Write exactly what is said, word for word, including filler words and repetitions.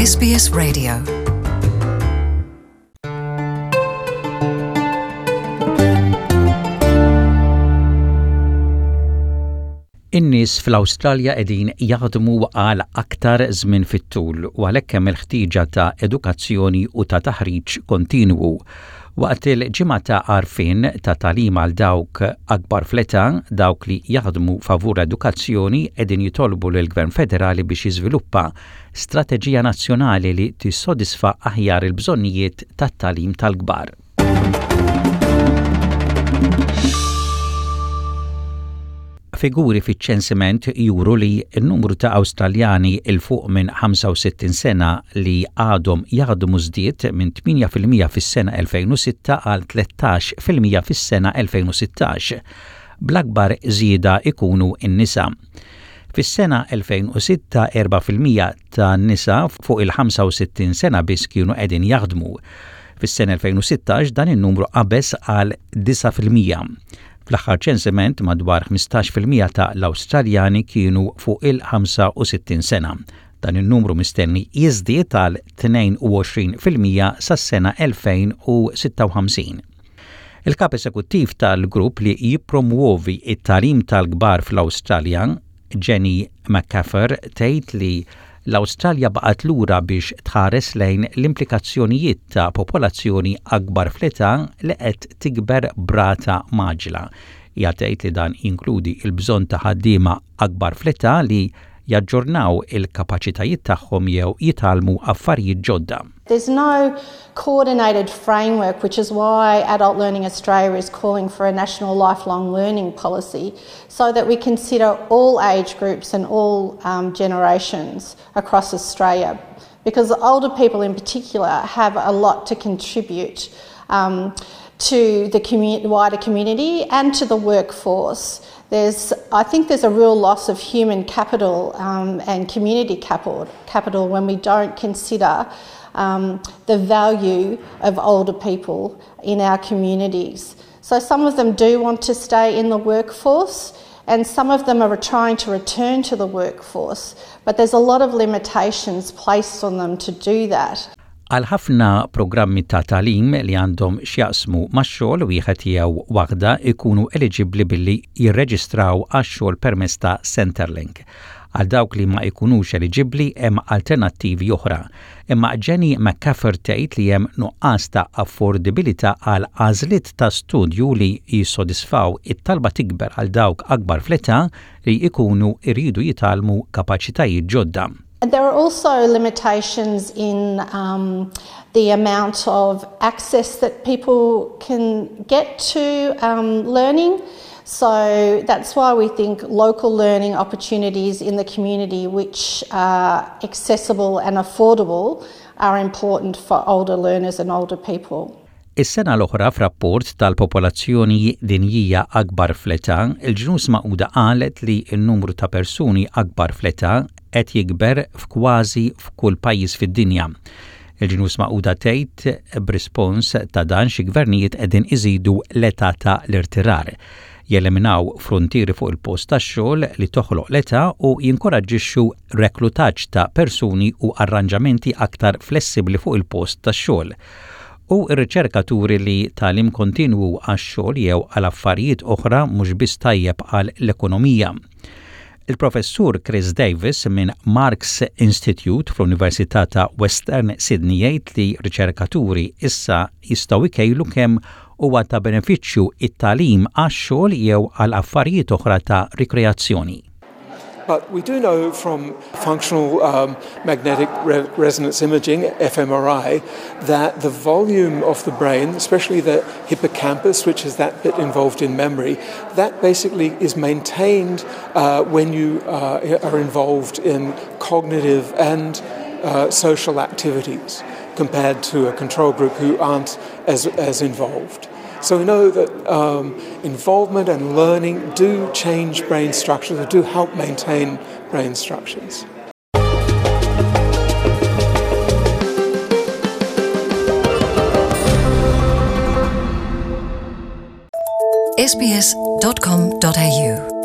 S B S Radio. In-nies fl-Awstralja qegħdin jaħdmu għal aktar żmien fit-tul u għalhekk hemm il-ħtieġa ta' edukazzjoni u ta' taħriġ kontinwu. Waqt il-ġimgħa ta' għarfien ta' tagħlim għal dawk akbar fl-età, dawk li jaħdmu favur edukazzjoni qegħdin jitolbu lill-Gvern Federali biex jiżviluppa strateġija nazzjonali li tissodisfa aħjar il-bżonnijiet tat-tagħlim tal-kbar. Figuri fiċ-ċensiment juru li n-numru ta' Awstraljani 'il fuq minn ħamsa u sittin sena li għadhom jaħdmu żdied minn tmienja fil-mija fis-sena elfejn u sitta għal tlettax fil-mija fis-sena elfejn u sittax. Bl-akbar żieda ikunu n-nisa. Fis-sena elfejn u sitta erbgħa fil-mija ta' nisa fuq il-ħamsa u sittin sena biss kienu qegħdin jaħdmu. Fis-sena elfejn u sittax dan in-numru qabeż għal disgħa fil-mija. Fl-aħħar ċensiment madwar ħmistax fil-mija ta' l-Awstraljani kienu fuq il-ħamsa u sittin sena. Dan in-numru mistenni jiżdied għal tnejn u għoxrin fil-mija sas-sena elfejn u sitta u ħamsin. Il-kap esekuttiv tal-grupp li jippromuovi it-tagħlim tal-kbar fl-Awstralja, Jenny McCaffer, tgħid li l-Awstralja baqgħet lura biex tħares lejn l-implikazzjonijiet ta' popolazzjoni akbar fl-età li qed tikber b'rata mgħaġġla. Hija tgħid li dan jinkludi l-bżonn ta' ħaddiema akbar fl-età li jaġġornaw il-kapaċitajiet tagħhom jew jitgħallmu affarijiet ġodda. There's no coordinated framework, which is why Adult Learning Australia is calling for a national lifelong learning policy, so that we consider all age groups and all um, generations across Australia. Because older people in particular have a lot to contribute um, to the commu- wider community and to the workforce. There's, I think there's a real loss of human capital um, and community capital, capital when we don't consider um, the value of older people in our communities. So some of them do want to stay in the workforce and some of them are trying to return to the workforce, but there's a lot of limitations placed on them to do that. Għal ħafna programmi ta' tagħlim li għandhom x'jaqsmu max-xogħol, wieħed jew waħda ikunu eliġibbli billi jirreġistraw għax-xogħol permezz ta' Centrelink. Għal dawk li ma jkunux eliġibbli hemm alternattivi oħra. Imma Jenny McCaffer tgħid li hemm nuqqas ta' affordibilità għal għażliet ta' studju li jissodisfaw it-talba tikber għal dawk akbar fl-età li jkunu iridu jitgħallmu kapaċitajiet ġodda. And there are also limitations in um, the amount of access that people can get to um, learning. So that's why we think local learning opportunities in the community, which are accessible and affordable, are important for older learners and older people. Is-sena l-oħra, f'rapport tal-popolazzjoni dinjija akbar fl-età, il-Ġnus Magħquda qalet li n-numru ta' persuni akbar fl-età qed jikber f'kważi f'kull pajjiż fid-dinja. Il-Ġnus Magħquda tgħid b'rispons ta' dan xi gvernijiet qegħdin iżidu l-età ta' l-irtirar, jeliminaw frontieri fuq il-post tax-xogħol li toħloq l-età u jinkoraġġixxu reklutaġġ ta' persuni u arranġamenti aktar flessibbli fuq il-post tax-xogħol. U r-riċerka turi li tagħlim kontinwu għax-xogħol jew għal affarijiet oħra mhux biss tajjeb għal l-ekonomija. Il-professur Chris Davis minn Marx Institute fl-Università ta' Western Sydney jgħid li riċerkaturi issa jistgħu jkejlu kemm huwa ta' benefiċċju it-tagħlim għax-xogħol jew għal affarijiet oħra ta' rikreazzjoni. But we do know from functional um, magnetic re- resonance imaging, f M R I, that the volume of the brain, especially the hippocampus, which is that bit involved in memory, that basically is maintained uh, when you uh, are involved in cognitive and uh, social activities compared to a control group who aren't as, as involved. So we know that um, involvement and learning do change brain structures or do help maintain brain structures. S B S dot com dot A U.